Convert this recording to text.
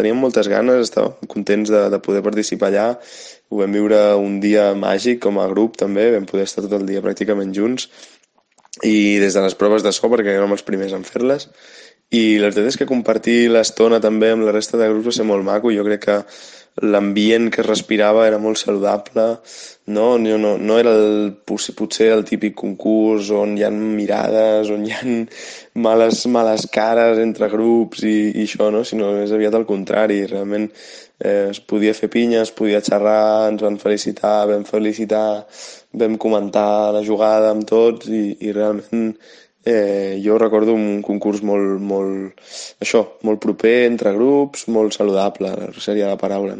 teníem moltes ganes, estàvem contents de poder participar allà. Ho vam viure un dia màgic com a grup també, vam poder estar tot el dia pràcticament junts i des de les proves de so, perquè érem els primers en fer-les, i la veritat és que compartir l'estona també amb la resta de grups va ser molt maco. Jo crec que l'ambient que es respirava era molt saludable, no era potser el típic concurs on hi ha mirades, on hi ha males cares entre grups i això, no? Sinó més aviat al contrari. Realment es podia fer pinya, es podia xerrar, ens van felicitar, vam comentar la jugada amb tots i realment jo recordo un concurs molt proper entre grups, molt saludable, seria la paraula, no?